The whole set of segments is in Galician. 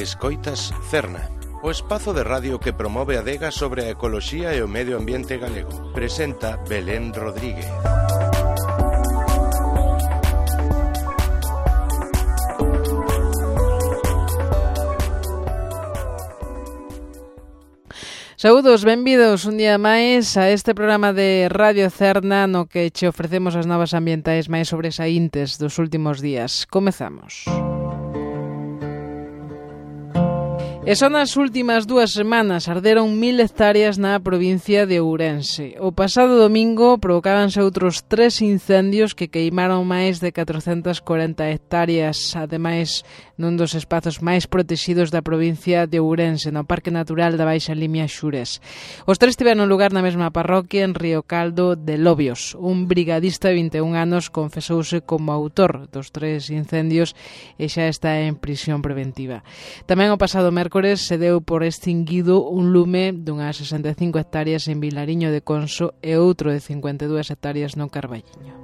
Escoitas Cerna, o espazo de radio que promove a adega sobre a ecoloxía e o medio ambiente galego. Presenta Belén Rodríguez. Saúdos, benvidos un día máis a este programa de Radio Cerna no que che ofrecemos as novas ambientais máis sobresaíntes dos últimos días. Comezamos. E son as últimas 2 semanas, arderon 1000 hectáreas na provincia de Ourense. O pasado domingo provocábanse outros 3 incendios que queimaron máis de 440 hectáreas, ademais nun dos espazos máis protegidos da provincia de Ourense, no Parque Natural da Baixa Limia Xures. Os 3 tiveron lugar na mesma parroquia en Río Caldo de Lobios. Un brigadista de 21 anos confesouse como autor dos 3 incendios e xa está en prisión preventiva. Tamén o pasado mércores se deu por extinguido un lume dunhas 65 hectáreas en Vilariño de Conso e outro de 52 hectáreas no Carballiño.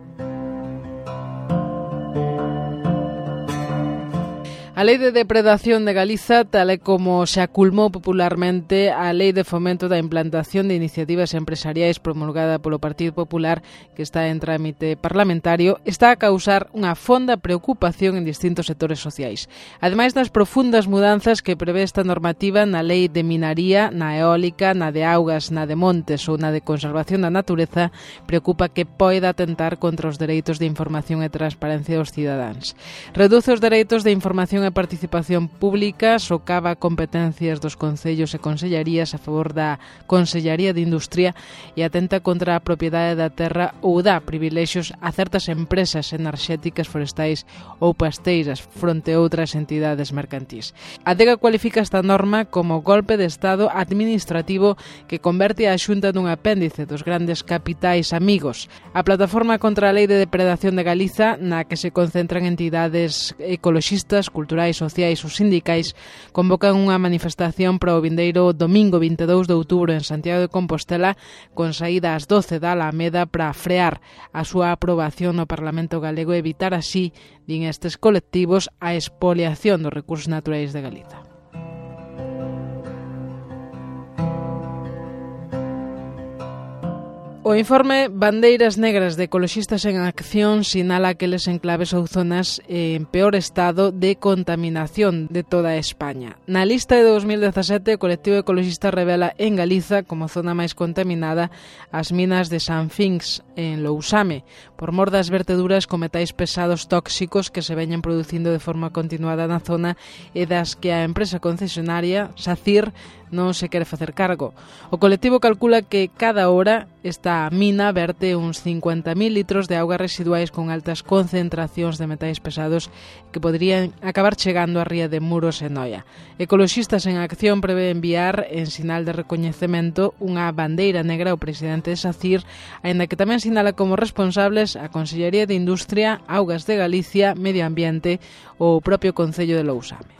A Lei de Depredación de Galiza, tal e como se aculmou popularmente a Lei de Fomento da Implantación de Iniciativas Empresariais promulgada polo Partido Popular, que está en trámite parlamentario, está a causar unha fonda preocupación en distintos sectores sociais. Ademais das profundas mudanzas que prevé esta normativa na Lei de Minaría, na eólica, na de augas, na de montes ou na de conservación da natureza, preocupa que poida atentar contra os dereitos de información e transparencia dos cidadáns. Reduce os dereitos de información e participación pública, socava competencias dos concellos e consellarías a favor da Consellaría de Industria e atenta contra a propiedade da terra ou dá privilexios a certas empresas enerxéticas, forestais ou pasteiras fronte a outras entidades mercantís. A adega cualifica esta norma como golpe de Estado administrativo que converte a Xunta nun apéndice dos grandes capitais amigos. A Plataforma contra a Lei de Depredación de Galiza, na que se concentran entidades ecoloxistas, culturais, sociais ou sindicais, convocan unha manifestación para o vindeiro domingo 22 de outubro en Santiago de Compostela, con saída ás 12 da Alameda para frear a súa aprobación no Parlamento galego e evitar así, din estes colectivos, a expoliación dos recursos naturais de Galiza. O informe Bandeiras Negras de Ecoloxistas en Acción sinala aqueles enclaves ou zonas en peor estado de contaminación de toda España. Na lista de 2017, o colectivo ecoloxista revela en Galiza como zona máis contaminada as minas de San Finx en Lousame, por mor das verteduras con metais pesados tóxicos que se veñen producindo de forma continuada na zona e das que a empresa concesionaria, SACIR, non se quere facer cargo. O colectivo calcula que cada hora esta mina verte uns 50.000 litros de augas residuais con altas concentracións de metais pesados que poderían acabar chegando á ría de Muros e Noia. Ecoloxistas en Acción prevé enviar, en sinal de recoñecemento, unha bandeira negra ao presidente de SACIR, aínda que tamén sinala como responsables a Consellería de Industria, Augas de Galicia, Medio Ambiente ou o propio Concello de Lousame.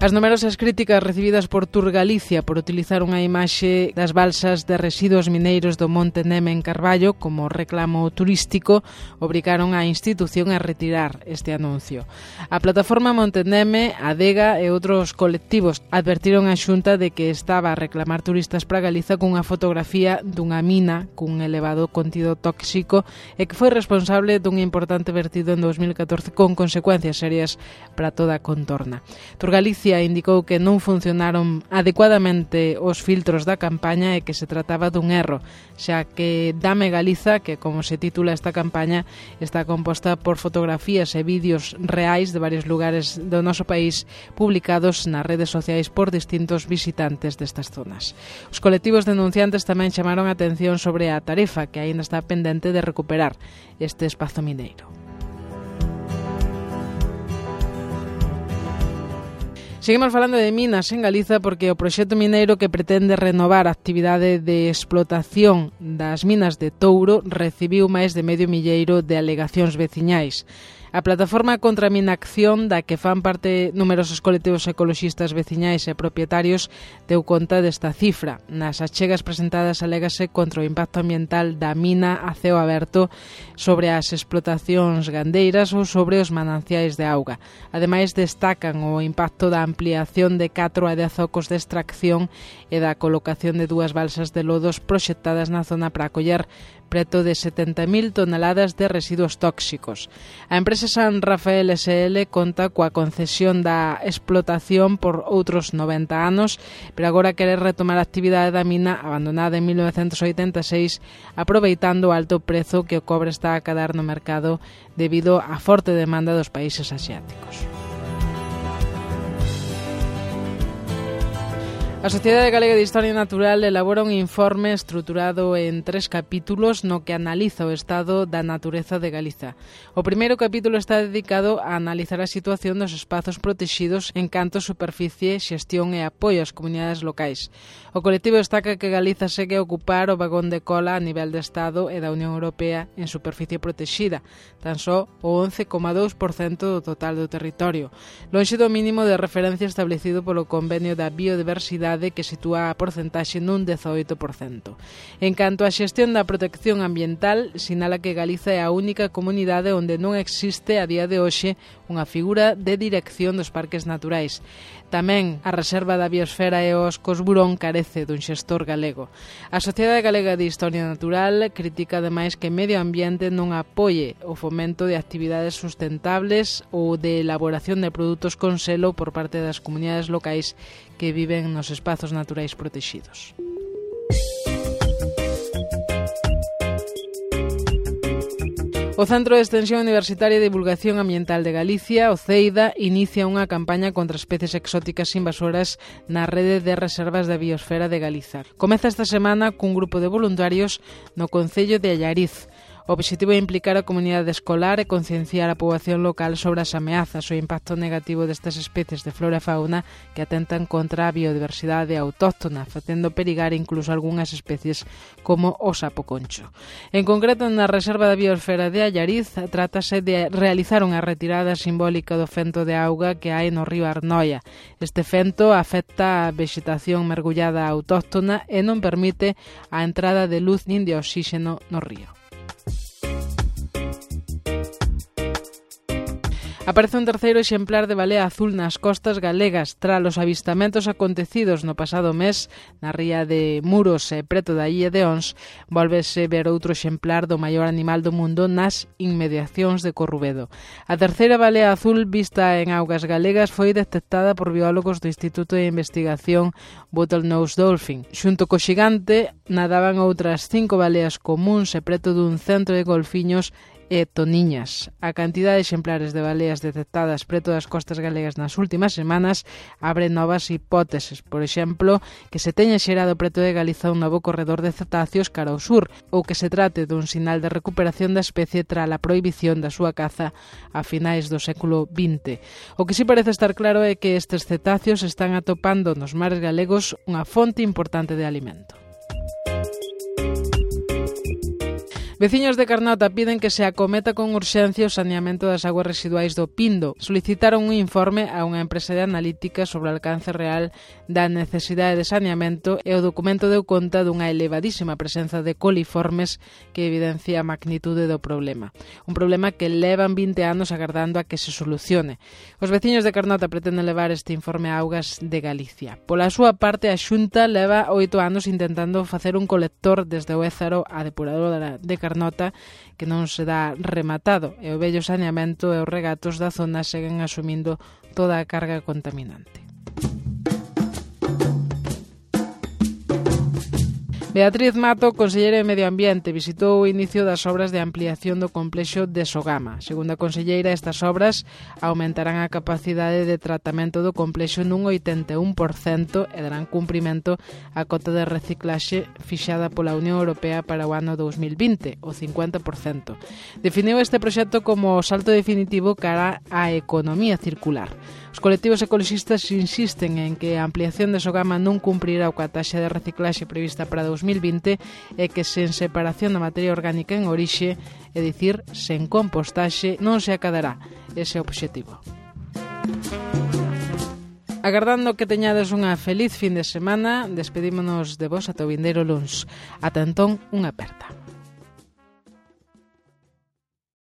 As numerosas críticas recibidas por Tour Galicia por utilizar unha imaxe das balsas de residuos mineiros do Monte Neme en Carballo como reclamo turístico obrigaron á institución a retirar este anuncio. A plataforma Monte Neme, a Adega e outros colectivos advertiron a Xunta de que estaba a reclamar turistas para Galiza cunha fotografía dunha mina cun elevado contido tóxico e que foi responsable dun importante vertido en 2014 con consecuencias serias para toda a contorna. Tour Galicia indicou que non funcionaron adecuadamente os filtros da campaña e que se trataba dun erro, xa que Dame Galiza, que como se titula esta campaña, está composta por fotografías e vídeos reais de varios lugares do noso país publicados nas redes sociais por distintos visitantes destas zonas. Os colectivos denunciantes tamén chamaron a atención sobre a tarefa que aínda está pendente de recuperar este espazo mineiro. Seguimos falando de minas en Galiza porque o proxecto mineiro que pretende renovar a actividade de explotación das minas de Touro recibiu máis de 500 de alegacións veciñais. A plataforma contra a minacción, da que fan parte numerosos colectivos ecoloxistas veciñais e propietarios, deu conta desta cifra. Nas achegas presentadas alégase contra o impacto ambiental da mina a ceo aberto sobre as explotacións gandeiras ou sobre os mananciais de auga. Ademais, destacan o impacto da ampliación de 4 a 10 ocos de extracción e da colocación de 2 balsas de lodos proxectadas na zona para acoller preto de 70.000 toneladas de residuos tóxicos. A empresa San Rafael SL conta coa concesión da explotación por outros 90 anos, pero agora quere retomar a actividade da mina abandonada en 1986, aproveitando o alto prezo que o cobre está a cadar no mercado debido á forte demanda dos países asiáticos. A Sociedade Galega de Historia Natural elabora un informe estruturado en 3 capítulos no que analiza o estado da natureza de Galiza. O primeiro capítulo está dedicado a analizar a situación dos espazos protexidos en canto a superficie, xestión e apoio ás comunidades locais. O colectivo destaca que Galiza segue a ocupar o vagón de cola a nivel de Estado e da Unión Europea en superficie protexida, tan só o 11,2% do total do territorio, lonxe do mínimo de referencia establecido polo Convenio da Biodiversidade que sitúa a porcentaxe nun 18%. En canto á xestión da protección ambiental, sinala que Galiza é a única comunidade onde non existe a día de hoxe unha figura de dirección dos parques naturais. Tamén a Reserva da Biosfera e os Cosburón carece dun xestor galego. A Sociedade Galega de Historia Natural critica ademais que Medio Ambiente non apoie o fomento de actividades sustentables ou de elaboración de produtos con selo por parte das comunidades locais que viven nos espazos naturais protexidos. O Centro de Extensión Universitaria e Divulgación Ambiental de Galicia, o CEIDA, inicia unha campaña contra especies exóticas invasoras na rede de reservas da biosfera de Galiza. Comeza esta semana cun grupo de voluntarios no concello de Allariz. O obxectivo é implicar a comunidade escolar e concienciar a poboación local sobre as ameazas ou impacto negativo destas especies de flora e fauna que atentan contra a biodiversidade autóctona, facendo perigar incluso algunhas especies como o sapo concho. En concreto, na Reserva da Biosfera de Allariz, trátase de realizar unha retirada simbólica do fento de auga que hai no río Arnoia. Este fento afecta a vexetación mergullada autóctona e non permite a entrada de luz nin de oxíxeno no río. Aparece un terceiro exemplar de balea azul nas costas galegas tras os avistamentos acontecidos no pasado mes na ría de Muros e preto da illa de Ons. Volvese ver outro exemplar do maior animal do mundo nas inmediacións de Corrubedo. A terceira balea azul vista en augas galegas foi detectada por biólogos do Instituto de Investigación Bottlenose Dolphin. Xunto co xigante nadaban outras 5 baleas comúns e preto dun centro de golfiños e toniñas. A cantidade de exemplares de baleas detectadas preto das costas galegas nas últimas semanas abre novas hipóteses. Por exemplo, que se teña xerado preto de Galiza un novo corredor de cetáceos cara ao sur, ou que se trate dun sinal de recuperación da especie tras a prohibición da súa caza a finais do século XX. O que si parece estar claro é que estes cetáceos están atopando nos mares galegos unha fonte importante de alimento. Veciños de Carnota piden que se acometa con urxencia o saneamento das aguas residuais do Pindo. Solicitaron un informe a unha empresa de analítica sobre o alcance real da necesidade de saneamento e o documento deu conta dunha elevadísima presenza de coliformes que evidencia a magnitude do problema. Un problema que levan 20 anos agardando a que se solucione. Os veciños de Carnota pretenden levar este informe a Augas de Galicia. Pola súa parte, a Xunta leva 8 anos intentando facer un colector desde o Ézaro á depuradora de Carnota que non se dá rematado e o vello saneamento e os regatos da zona seguen asumindo toda a carga contaminante. Beatriz Mato, conselleira de Medio Ambiente, visitou o inicio das obras de ampliación do complexo de Sogama. Segundo a conselleira, estas obras aumentarán a capacidade de tratamento do complexo nun 81% e darán cumprimento á cota de reciclaxe fixada pola Unión Europea para o ano 2020, o 50%. Definiu este proxecto como o salto definitivo cara á economía circular. Os colectivos ecoloxistas insisten en que a ampliación de Sogama non cumprirá coa taxa de reciclaxe prevista para 2020 2020 é que sen separación da materia orgánica en orixe, é dicir, sen compostaxe, non se acadará ese obxectivo. Agardando que teñades unha feliz fin de semana, despedímonos de vos ata o vindeiro luns. Ata entón, unha aperta.